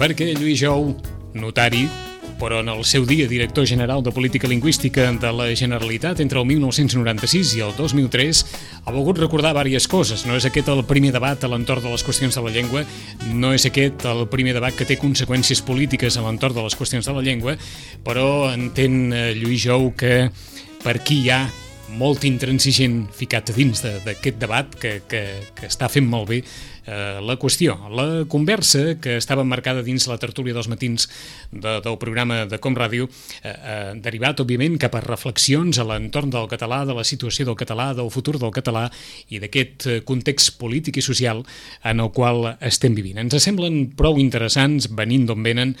perquè Lluís Jou, notari, però en el seu dia director general de Política Lingüística de la Generalitat entre el 1996 i el 2003, ha volgut recordar diverses coses. No és aquest el primer debat a l'entorn de les qüestions de la llengua, no és aquest el primer debat que té conseqüències polítiques a l'entorn de les qüestions de la llengua, però entén Lluís Jou que per aquí hi ha molt intransigent ficat a dins d'aquest debat que està fent molt bé la qüestió. La conversa que estava marcada dins la tertúlia dels matins del programa de Com Ràdio derivat, òbviament, cap a reflexions a l'entorn del català, de la situació del català, del futur del català i d'aquest context polític i social en el qual estem vivint. Ens semblen prou interessants, venint d'on venen,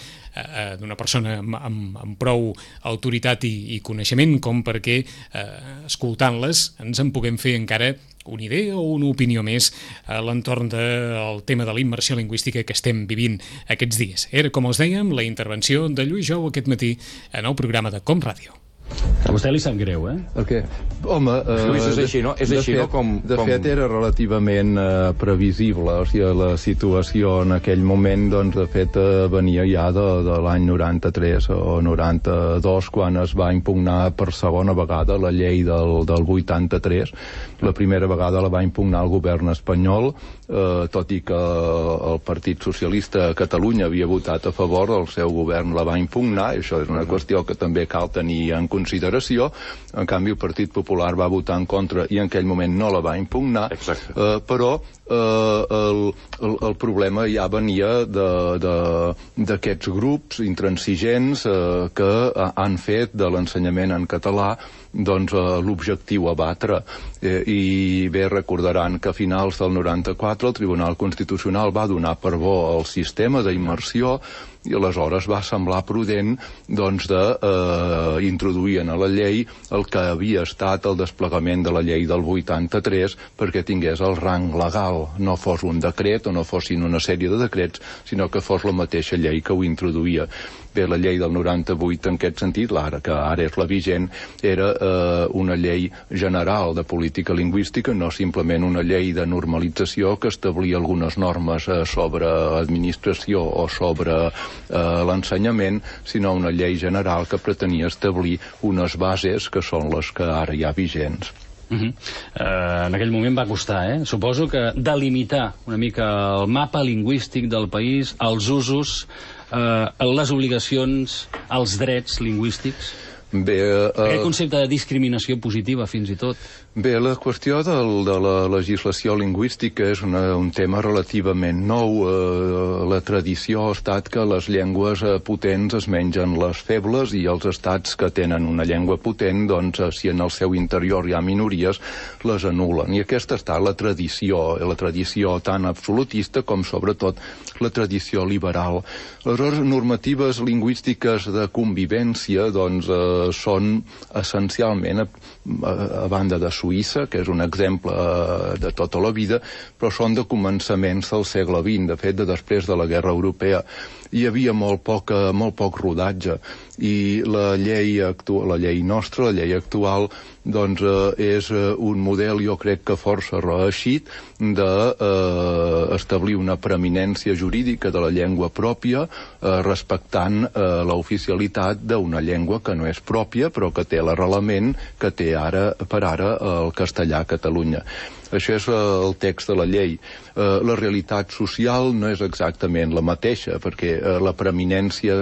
d'una persona amb prou autoritat i coneixement com perquè, escoltant-les, ens en puguem fer encara una idea o una opinió més a l'entorn del tema de la immersió lingüística que estem vivint aquests dies. Era, com els dèiem, la intervenció de Lluís Jou aquest matí en el programa de Com Ràdio. A vostè li sap greu, eh? Okay. Home, Lluís, és així, no? És així, no? De fet, era relativament previsible. O sigui, la situació en aquell moment, doncs, de fet, venia ja de l'any 93 o 92, quan es va impugnar per segona vegada la llei del 83. La primera vegada la va impugnar el govern espanyol, tot i que el Partit Socialista a Catalunya havia votat a favor, el seu govern la va impugnar, i això és una qüestió que també cal tenir en consideració. En canvi, el Partit Popular va votar en contra i en aquell moment no la va impugnar. Però el problema ja venia d'aquests grups intransigents que han fet de l'ensenyament en català doncs l'objectiu a batre. I bé, recordaran que a finals del 94 el Tribunal Constitucional va donar per bo el sistema d'immersió i aleshores va semblar prudent doncs d'introduir a la llei el que havia estat el desplegament de la llei del 83 perquè tingués el rang legal, no fos un decret o no fossin una sèrie de decrets, sinó que fos la mateixa llei que ho introduïa. Bé, la llei del 98 en aquest sentit, que ara és la vigent, era una llei general de política lingüística, no simplement una llei de normalització que establia algunes normes sobre administració o sobre l'ensenyament, sinó una llei general que pretenia establir unes bases que són les que ara hi ha vigents. En aquell moment va costar, Suposo que delimitar una mica el mapa lingüístic del país, els usos, les obligacions, els drets lingüístics. Bé, aquest concepte de discriminació positiva, fins i tot. Bé, la qüestió de la legislació lingüística és un tema relativament nou. La tradició ha estat que les llengües potents es mengen les febles i els estats que tenen una llengua potent, doncs, si en el seu interior hi ha minories, les anul·len. I aquesta ha estat la tradició tan absolutista com, sobretot, la tradició liberal. Les normatives lingüístiques de convivència, doncs, són essencialment, a banda de Suïssa, que és un exemple de tota la vida, però són de començaments del segle XX, de fet, després de la Guerra Europea. Hi havia molt poc rodatge i la llei nostra, la llei actual, doncs és un model, jo crec que força reeixit, d'establir una preeminència jurídica de la llengua pròpia, respectant l'oficialitat d'una llengua que no és pròpia, però que té l'arrelament que té per ara el castellà a Catalunya. Això és el text de la llei. La realitat social no és exactament la mateixa, perquè la preeminència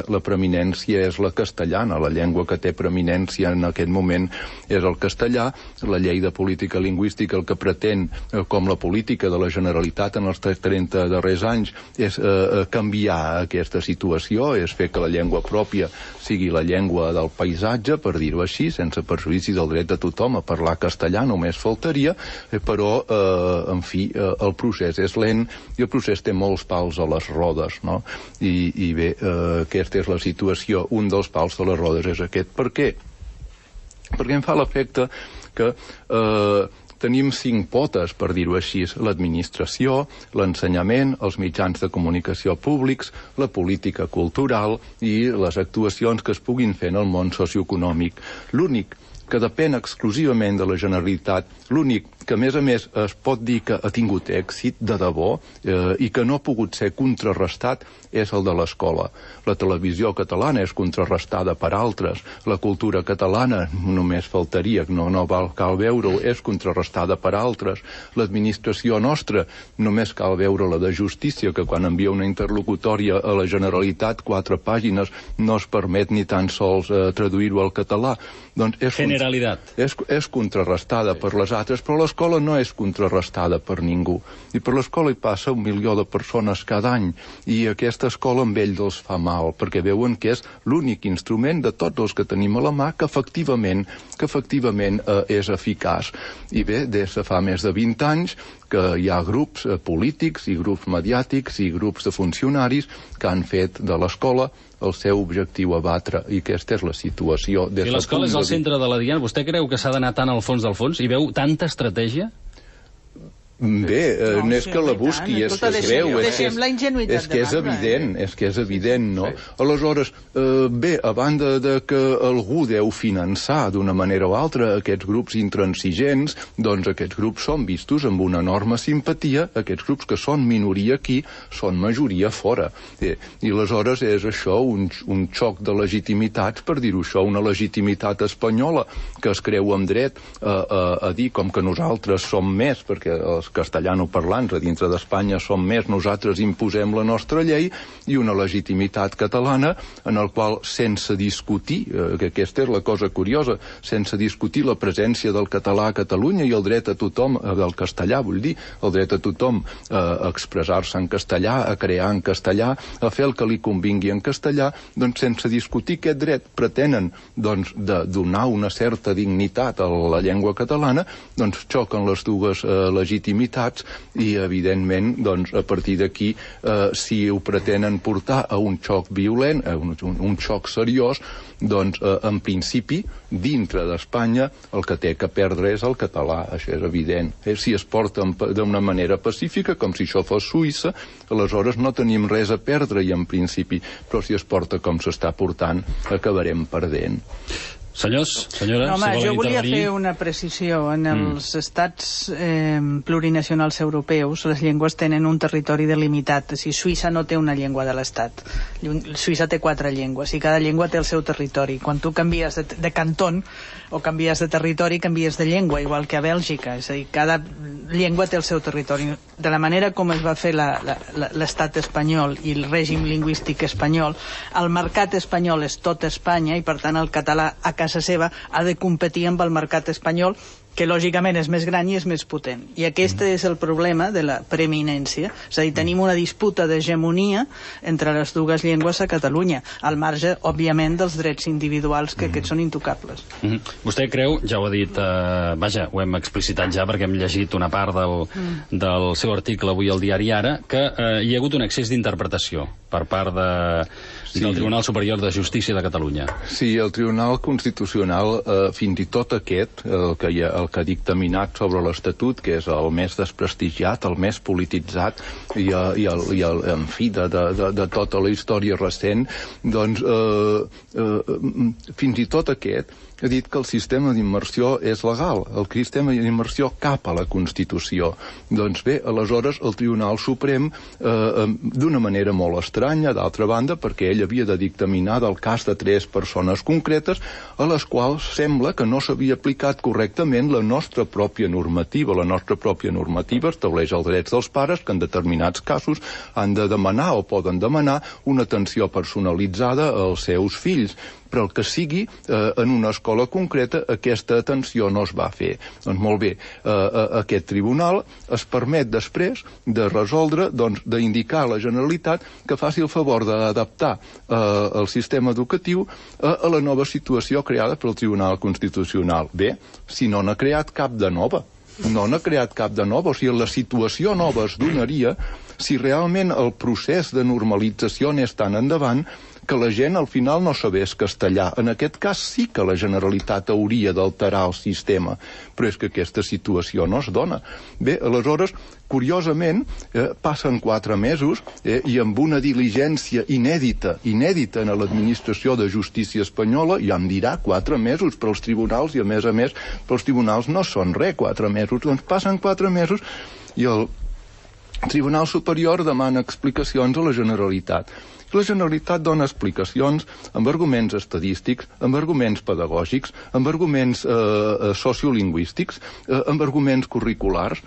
és la castellana. La llengua que té preeminència en aquest moment és el castellà. La llei de política lingüística el que pretén, com la política de la Generalitat en els 30 darrers anys, és canviar aquesta situació, és fer que la llengua pròpia sigui la llengua del paisatge, per dir-ho així, sense perjudici del dret de tothom a parlar castellà, només faltaria, però en fi, el procés és lent i el procés té molts pals a les rodes, no? I bé, aquesta és la situació. Un dels pals de les rodes és aquest. Per què? Perquè em fa l'efecte que tenim 5 potes, per dir-ho així: l'administració, l'ensenyament, els mitjans de comunicació públics, la política cultural i les actuacions que es puguin fer en el món socioeconòmic. L'únic que depèn exclusivament de la Generalitat, l'únic que a més es pot dir que ha tingut èxit de debò i que no ha pogut ser contrarrestat és el de l'escola. La televisió catalana és contrarrestada per altres, la cultura catalana, només faltaria, no cal veure-ho, és contrarrestada per altres, l'administració nostra, només cal veure la de justícia, que quan envia una interlocutòria a la Generalitat, 4 pàgines, no es permet ni tan sols traduir-ho al català. Doncs Generalitat. És contrarrestada per les altres, però l'escola no és contrarrestada per ningú. I per l'escola hi passa 1 milió de persones cada any, i aquesta escola amb ells els fa mal, perquè veuen que és l'únic instrument de tots els que tenim a la mà que efectivament és eficaç. I bé, des de fa més de 20 anys que hi ha grups polítics i grups mediàtics i grups de funcionaris que han fet de l'escola el seu objectiu a batre, i aquesta és la situació. I l'escola és el centre de la diana. Vostè creu que s'ha d'anar tant al fons del fons? Hi veu tanta estratègia? Bé, no és que la busqui, és que es veu, és que és evident, no? Aleshores, bé, a banda de que algú deu finançar d'una manera o altra aquests grups intransigents, doncs aquests grups són vistos amb una enorme simpatia, aquests grups que són minoria aquí, són majoria fora. I aleshores és això, un xoc de legitimitats, per dir-ho això, una legitimitat espanyola que es creu amb dret a dir com que nosaltres som més, perquè els castellanoparlants a dintre d'Espanya som més, nosaltres imposem la nostra llei, i una legitimitat catalana en el qual, sense discutir, que aquesta és la cosa curiosa, sense discutir la presència del català a Catalunya i el dret a tothom, del castellà, vull dir, el dret a tothom a expressar-se en castellà, a crear en castellà, a fer el que li convingui en castellà, doncs sense discutir aquest dret pretenen doncs de donar una certa dignitat a la llengua catalana, doncs xoquen les dues legitimitats i, evidentment, doncs, a partir d'aquí, si ho pretenen portar a un xoc violent, a un xoc seriós, doncs, en principi, dintre d'Espanya, el que té que perdre és el català, això és evident. Si es porta d'una manera pacífica, com si això fos Suïssa, aleshores no tenim res a perdre, i en principi, però si es porta com s'està portant, acabarem perdent. Senyors, senyores, no, home, si volen jo volia intervenir... fer una precisió. En els estats plurinacionals europeus, les llengües tenen un territori delimitat. Si Suïssa no té una llengua de l'estat. Suïssa té 4 llengües i cada llengua té el seu territori. Quan tu canvies de cantó o canvies de territori, canvies de llengua, igual que a Bèlgica. És a dir, cada llengua té el seu territori. De la manera com es va fer l'estat espanyol i el règim lingüístic espanyol, el mercat espanyol és tot Espanya, i per tant el català a casa seva ha de competir amb el mercat espanyol, que lògicament és més gran i és més potent. I aquest és el problema de la preeminència. És a dir, tenim una disputa d'hegemonia entre les dues llengües a Catalunya, al marge, òbviament, dels drets individuals, que aquests són intocables. Vostè creu, ja ho ha dit, vaja, ho hem explicitat ja perquè hem llegit una part del seu article avui al diari Ara, que hi ha hagut un excés d'interpretació per part del Tribunal Superior de Justícia de Catalunya. Sí, el Tribunal Constitucional, fins i tot aquest, el que ha dictaminat sobre l'Estatut, que és el més desprestigiat, el més polititzat, en fi, de tota la història recent, doncs, fins i tot aquest ha dit que el sistema d'immersió és legal, el sistema d'immersió cap a la Constitució. Doncs bé, aleshores el Tribunal Suprem, d'una manera molt estranya, d'altra banda, perquè ell havia de dictaminar del cas de 3 persones concretes, a les quals sembla que no s'havia aplicat correctament la nostra pròpia normativa. La nostra pròpia normativa estableix els drets dels pares, que en determinats casos han de demanar o poden demanar una atenció personalitzada als seus fills, però el que sigui, en una escola concreta, aquesta atenció no es va fer. Doncs molt bé, aquest tribunal es permet després de resoldre, doncs, d'indicar a la Generalitat que faci el favor d'adaptar el sistema educatiu a la nova situació creada pel Tribunal Constitucional. Bé, si no n'ha creat cap de nova. No n'ha creat cap de nova, o sigui, la situació nova es donaria si realment el procés de normalització anés tan endavant que la gent al final no sabés castellà. En aquest cas sí que la Generalitat hauria d'alterar el sistema, però és que aquesta situació no es dona. Bé, aleshores, curiosament, passen 4 mesos i amb una diligència inèdita en l'administració de justícia espanyola, ja em dirà 4 mesos per als tribunals, i a més, pels tribunals no són res 4 mesos, doncs passen 4 mesos i el Tribunal Superior demana explicacions a la Generalitat. La Generalitat dona explicacions amb arguments estadístics, amb arguments pedagògics, amb arguments sociolingüístics, amb arguments curriculars.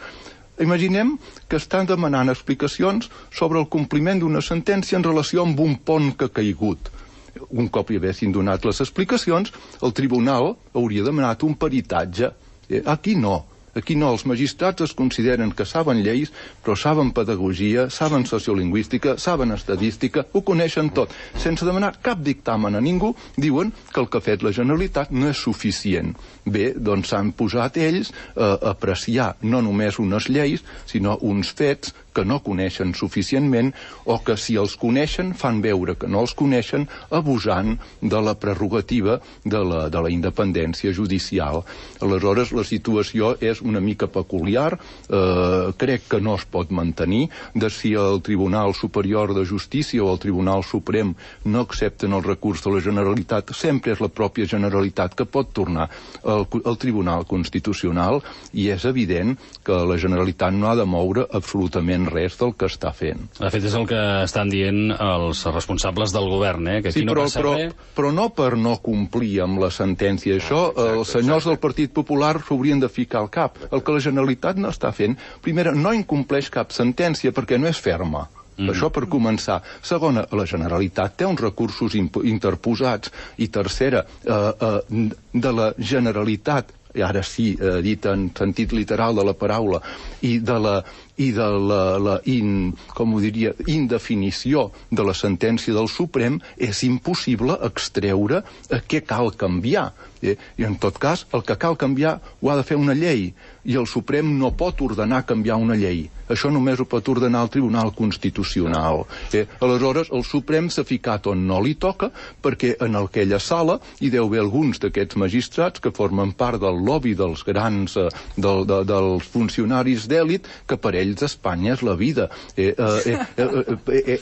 Imaginem que estan demanant explicacions sobre el compliment d'una sentència en relació amb un pont que ha caigut. Un cop hi haguessin donat les explicacions, el tribunal hauria demanat un peritatge. Aquí no. Aquí no, els magistrats es consideren que saben lleis, però saben pedagogia, saben sociolingüística, saben estadística, ho coneixen tot. Sense demanar cap dictamen a ningú, diuen que el que ha fet la Generalitat no és suficient. Bé, doncs s'han posat ells a apreciar no només unes lleis, sinó uns fets que no coneixen suficientment o que si els coneixen fan veure que no els coneixen, abusant de la prerrogativa de la independència judicial. Aleshores, la situació és una mica peculiar, crec que no es pot mantenir, de si el Tribunal Superior de Justícia o el Tribunal Suprem no accepten el recurs de la Generalitat, sempre és la pròpia Generalitat que pot tornar al Tribunal Constitucional, i és evident que la Generalitat no ha de moure absolutament res del que està fent. De fet, és el que estan dient els responsables del govern, que aquí no passa res. Però no per no complir amb la sentència. Això, els senyors del Partit Popular s'haurien de ficar al cap. El que la Generalitat no està fent, primera, no incompleix cap sentència perquè no és ferma. Això per començar. Segona, la Generalitat té uns recursos interposats. I tercera, de la Generalitat, i ara sí, dit en sentit literal de la paraula, i de la indefinició de la sentència del Suprem, és impossible extreure què cal canviar. I en tot cas, el que cal canviar ho ha de fer una llei, i el Suprem no pot ordenar canviar una llei. Això només ho pot ordenar el Tribunal Constitucional. Aleshores, el Suprem s'ha ficat on no li toca, perquè en aquella sala hi deu haver alguns d'aquests magistrats que formen part del lobby dels grans, dels funcionaris d'èlit, que per ells Espanya és la vida.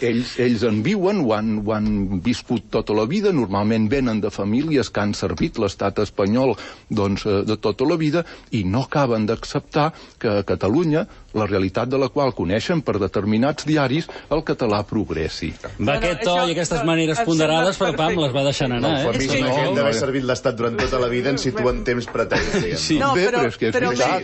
Ells en viuen, ho han viscut tota la vida, normalment venen de famílies que han servit l'estat espanyol de tota la vida, i no acaben d'acceptar que a Catalunya, la realitat de la qual coneixen per determinats diaris, el català progressi. Va aquest to i aquestes maneres ponderades, però pam, les va deixant anar. El gent d'haver servit l'Estat durant tota la vida ens situa en temps pretens. No, però és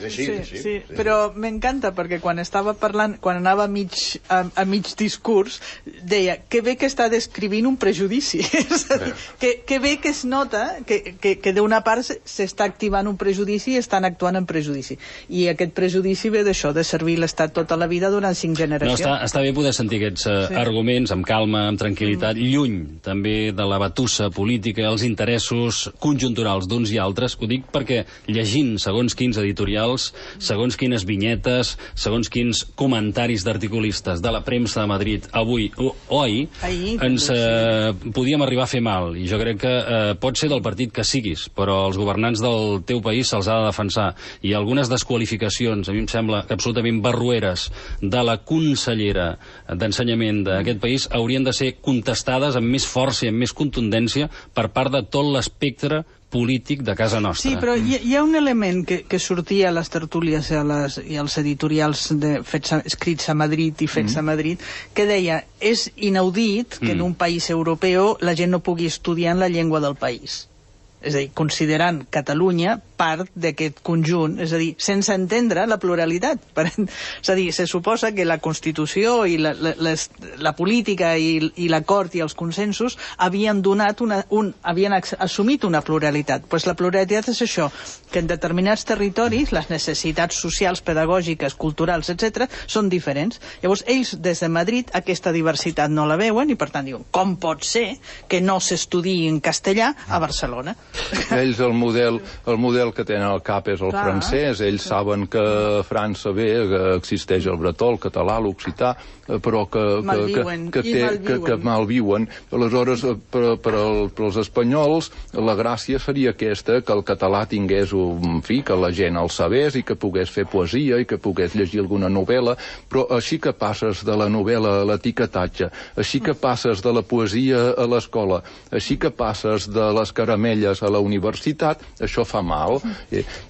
així. Però m'encanta, perquè quan estava parlant, quan anava a mig discurs, deia que bé que està descrivint un prejudici. És a dir, que bé que es nota que d'una part s'està activant un prejudici i estan actuant en prejudici. I aquest prejudici ve d'això, de servir l'Estat tota la vida durant 5 generacions. No, està bé poder sentir aquests arguments amb calma, amb tranquil·litat, lluny també de la batussa política, els interessos conjunturals d'uns i altres. Ho dic perquè llegint segons quins editorials, segons quines vinyetes, segons quins comentaris d'articulistes de la premsa de Madrid avui o ahir, ens podíem arribar a fer mal. I jo crec que pot ser del partit que siguis, però els governants del teu país se'ls ha de defensar. I algunes desqualificacions, a mi em sembla que absolutament barrueres de la consellera d'Ensenyament d'aquest país haurien de ser contestades amb més força i amb més contundència per part de tot l'espectre polític de casa nostra. Sí, però hi ha un element que sortia a les tertúlies i als editorials escrits a Madrid i fets a Madrid, que deia, és inaudit que en un país europeu la gent no pugui estudiar en la llengua del país. És a dir, considerant Catalunya part d'aquest conjunt, és a dir, sense entendre la pluralitat. És a dir, se suposa que la Constitució i la política i l'acord i els consensos havien assumit una pluralitat. Doncs la pluralitat és això, que en determinats territoris les necessitats socials, pedagògiques, culturals, etc., són diferents. Llavors, ells, des de Madrid, aquesta diversitat no la veuen i, per tant, diuen, com pot ser que no s'estudiï en castellà a Barcelona? Ells el model el que tenen al cap és el francès. Ells saben que a França que existeix el bretó, el català, l'occità, però que malviuen. Aleshores, per als espanyols, la gràcia seria aquesta, que el català tingués un fi, que la gent el sabés i que pogués fer poesia i que pogués llegir alguna novel·la, però així que passes de la novel·la a l'etiquetatge, així que passes de la poesia a l'escola, així que passes de les caramelles a la universitat, això fa mal.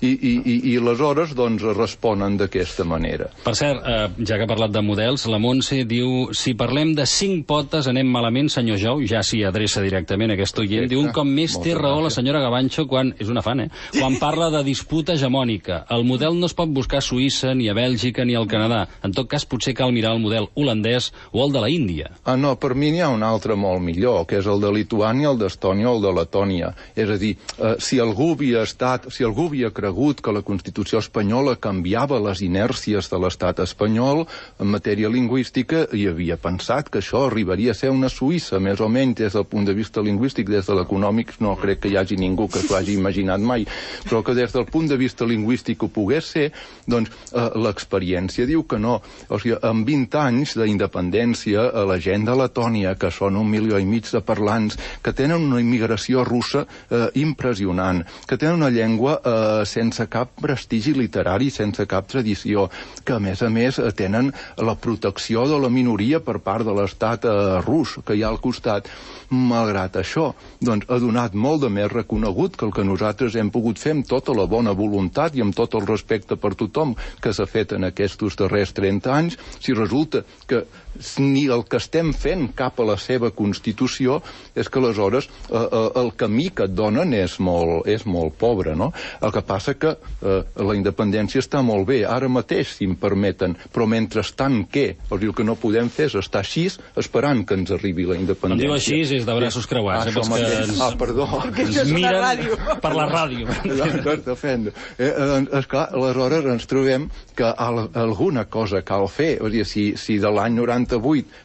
I aleshores, doncs, responen d'aquesta manera. Per cert, ja que ha parlat de models, la Montse diu: si parlem de 5 potes anem malament, senyor Jou, ja s'hi adreça directament a aquest oient. Diu: un cop més té raó la senyora Gavancho quan, és una fan, quan parla de disputa hegemònica. El model no es pot buscar a Suïssa, ni a Bèlgica, ni al Canadà. En tot cas, potser cal mirar el model holandès o el de la Índia. No, per mi n'hi ha un altre molt millor, que és el de Lituània, el d'Estònia o el de Letònia. És a dir, si algú havia cregut que la Constitució espanyola canviava les inèrcies de l'estat espanyol en matèria lingüística, i havia pensat que això arribaria a ser una Suïssa, més o menys des del punt de vista lingüístic. Des de l'econòmic no crec que hi hagi ningú que s'ho hagi imaginat mai, però que des del punt de vista lingüístic ho pogués ser, doncs l'experiència diu que no. O sigui, en 20 anys d'independència, la gent de Letònia, que són 1,5 milió de parlants, que tenen una immigració russa impressionant, que tenen una llengua sense cap prestigi literari, sense cap tradició, que a més tenen la protecció de la minoria per part de l'estat rus que hi ha al costat. Malgrat això, doncs, ha donat molt de més reconegut que el que nosaltres hem pogut fer amb tota la bona voluntat i amb tot el respecte per tothom que s'ha fet en aquests darrers 30 anys, si resulta que ni el que estem fent cap a la seva Constitució, és que aleshores el camí que et donen és molt pobre, no? El que passa que la independència està molt bé, ara mateix, si em permeten, però mentrestant què? O sigui, el que no podem fer és estar així esperant que ens arribi la independència. Quan diu així és de braços creuats, perdó. Perquè això és una ràdio. Per la ràdio. Esclar, aleshores ens trobem que alguna cosa cal fer. O sigui, si de l'any 98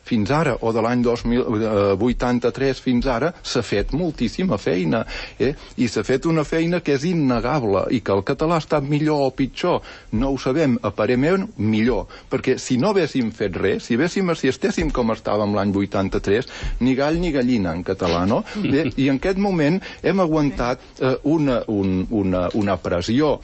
fins ara, o de l'any 2083 fins ara, s'ha fet moltíssima feina. I s'ha fet una feina que és innegable, i que el català ha estat millor o pitjor, no ho sabem, aparentment millor, perquè si no haguéssim fet res, si estéssim com estàvem l'any 83, ni gall ni gallina en català, no? I en aquest moment hem aguantat una pressió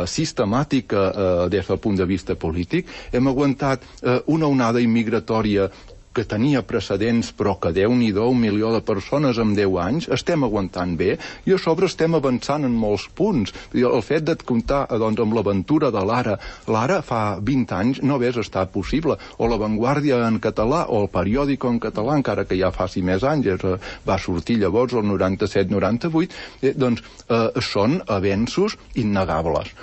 sistemàtica des del punt de vista polític, hem aguantat una onada immigratòria que tenia precedents, però que Déu-n'hi-do, 1 milió de persones en 10 anys, estem aguantant bé, i a sobre estem avançant en molts punts. El fet de comptar amb l'aventura de l'Ara fa 20 anys no hagués estat possible, o La Vanguardia en català, o el Periòdico en català, encara que ja faci més anys, va sortir llavors el 97-98, doncs són avenços innegables.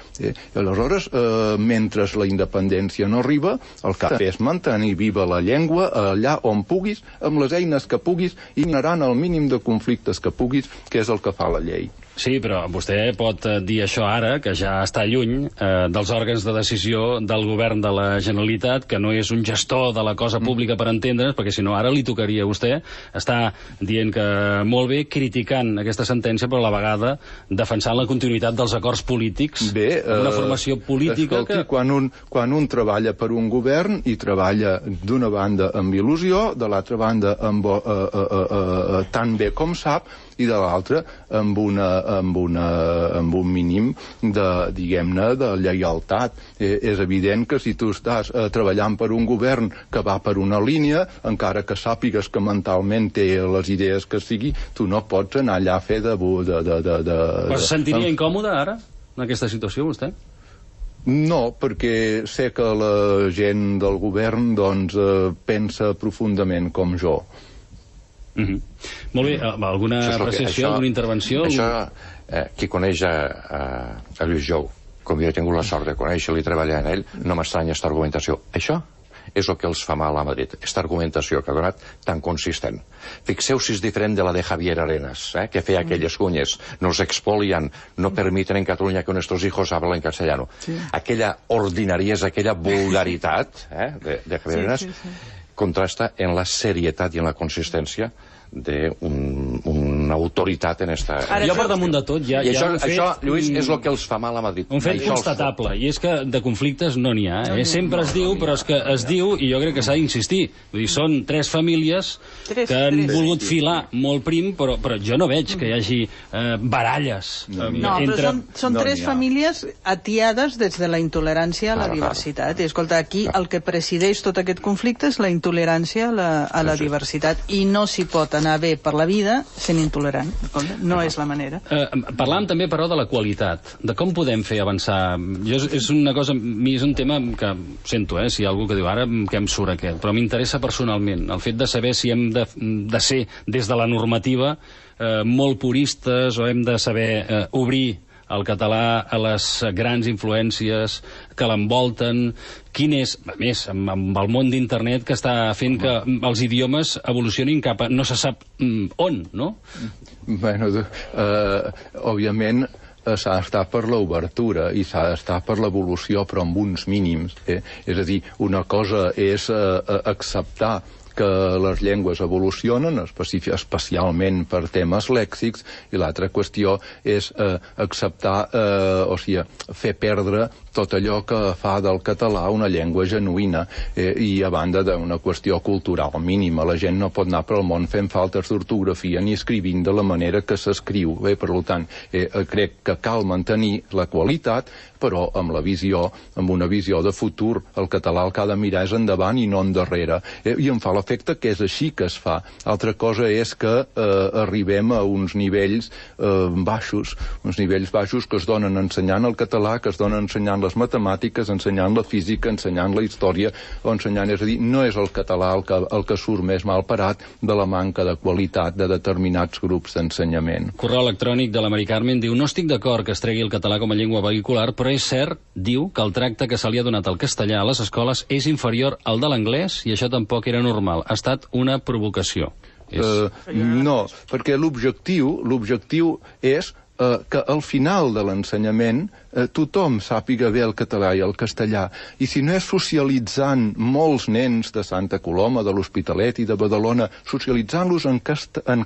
Aleshores, mentre la independència no arriba, el que és mantenir viva la llengua allà on puguis, amb les eines que puguis, i generant el mínim de conflictes que puguis, que és el que fa la llei. Sí, però vostè pot dir això ara, que ja està lluny dels òrgans de decisió del govern de la Generalitat, que no és un gestor de la cosa pública per entendre's, perquè si no ara li tocaria a vostè estar dient que molt bé, criticant aquesta sentència, però a la vegada defensant la continuïtat dels acords polítics, una formació política. Escolti, quan un treballa per un govern i treballa d'una banda amb il·lusió, de l'altra banda tan bé com sap, i de l'altra amb un mínim de, diguem-ne, de lleialtat. És evident que si tu estàs treballant per un govern que va per una línia, encara que sàpigues que mentalment té les idees que sigui, tu no pots anar allà a fer de... Però se sentiria incòmode ara, en aquesta situació, vostè? No, perquè sé que la gent del govern doncs pensa profundament com jo. Molt bé, alguna apreciació, alguna intervenció? Això, qui coneix a Lluís Jou, com jo he tingut la sort de conèixer-lo i treballar en ell, no m'estranya aquesta argumentació. Això és el que els fa mal a Madrid, aquesta argumentació que ha donat tan consistent. Fixeu si és diferent de la de Javier Arenas, que feia aquelles cunyes, nos expolian, no permiten en Catalunya que nuestros hijos hablen castellano. Aquella ordinariesa, aquella vulgaritat de Javier Arenas contrasta en la serietat i en la consistència d'un una autoritat en esta... Jo per damunt de tot ja... I això, Lluís, és el que els fa mal a Madrid. Un fet constatable, i és que de conflictes no n'hi ha. Sempre es diu, però és que es diu, i jo crec que s'ha d'insistir. Vull dir, són 3 famílies que han volgut filar molt prim, però jo no veig que hi hagi baralles. No, però són 3 famílies atiades des de la intolerància a la diversitat. I escolta, aquí el que presideix tot aquest conflicte és la intolerància a la diversitat, i no s'hi pot anar bé per la vida sent intolerant. No és la manera. Parlàvem també, però, de la qualitat, de com podem fer avançar. És una cosa, és un tema que sento, si hi ha algú que diu ara que em surt aquest, però m'interessa personalment el fet de saber si hem de ser des de la normativa molt puristes o hem de saber obrir el català a les grans influències que l'envolten. Quin és, a més, amb el món d'internet que està fent que els idiomes evolucionin cap a no se sap on, no? Bueno, òbviament s'ha d'estar per l'obertura i s'ha d'estar per l'evolució, però amb uns mínims. És a dir, una cosa és acceptar que les llengües evolucionen, especialment per temes lèxics, i l'altra qüestió és acceptar, o sigui, fer perdre tot allò que fa del català una llengua genuïna, i a banda d'una qüestió cultural mínima. La gent no pot anar pel món fent faltes d'ortografia ni escrivint de la manera que s'escriu. Per tant, crec que cal mantenir la qualitat, però amb una visió de futur. El català el que ha de mirar és endavant i no endarrere. I em fa l'efecte que és així que es fa. Altra cosa és que arribem a uns nivells baixos que es donen ensenyant el català, que es donen ensenyant les matemàtiques, ensenyant la física, ensenyant la història, o ensenyant, és a dir, no és el català el que surt més mal parat de la manca de qualitat de determinats grups d'ensenyament. Correu electrònic de la Mari Carmen diu: no estic d'acord que es tregui el català com a llengua vehicular, però és cert, diu, que el tracte que se li ha donat al castellà a les escoles és inferior al de l'anglès, i això tampoc era normal. Ha estat una provocació. No, perquè l'objectiu és que al final de l'ensenyament tothom sàpiga bé el català i el castellà, i si no és socialitzant molts nens de Santa Coloma, de l'Hospitalet i de Badalona, socialitzant-los en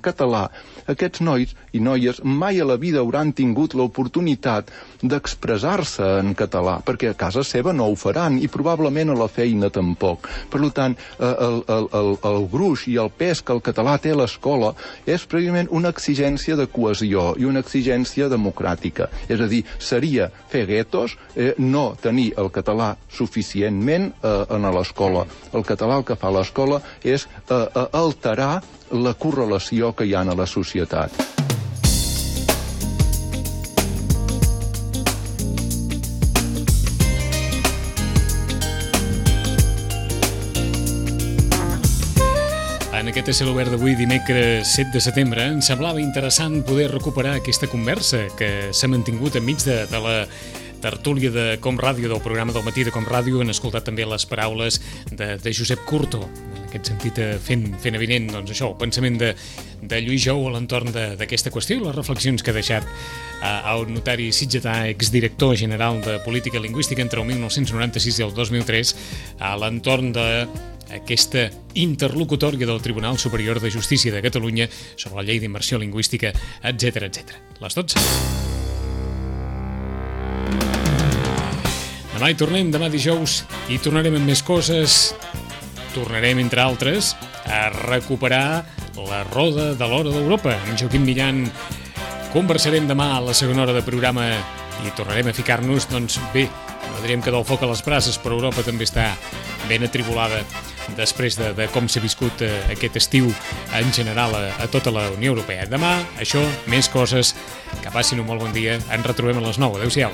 català, aquests nois i noies mai a la vida hauran tingut l'oportunitat d'expressar-se en català, perquè a casa seva no ho faran, i probablement a la feina tampoc. Per tant, el gruix i el pes que el català té a l'escola és precisament una exigència de cohesió i una exigència democràtica. És a dir, seria fer guetos, no tenir el català suficientment a l'escola. El català el que fa a l'escola és alterar la correlació que hi ha a la societat. En aquest Cel Obert d'avui, dimecres 7 de setembre, ens semblava interessant poder recuperar aquesta conversa que s'ha mantingut enmig de la tertúlia de Com Ràdio, del programa del matí de Com Ràdio. Han escoltat també les paraules de Josep Curto, en aquest sentit fent evident això, el pensament de Lluís Jou a l'entorn d'aquesta qüestió i les reflexions que ha deixat el notari sitgetà, exdirector general de Política Lingüística entre el 1996 i el 2003, a l'entorn d'aquesta interlocutòria del Tribunal Superior de Justícia de Catalunya sobre la llei d'immersió lingüística, etc. Les 12. Demà hi tornem, demà dijous, i tornarem amb més coses. Tornarem, entre altres, a recuperar la roda de l'Hora d'Europa. Amb Joaquim Millan conversarem demà a la segona hora de programa i tornarem a ficar-nos, bé, no direm que del foc a les brases, però Europa també està ben atribulada després de com s'ha viscut aquest estiu en general a tota la Unió Europea. Demà, això, més coses, que passin un molt bon dia. Ens retrobem a les 9. Adéu-siau.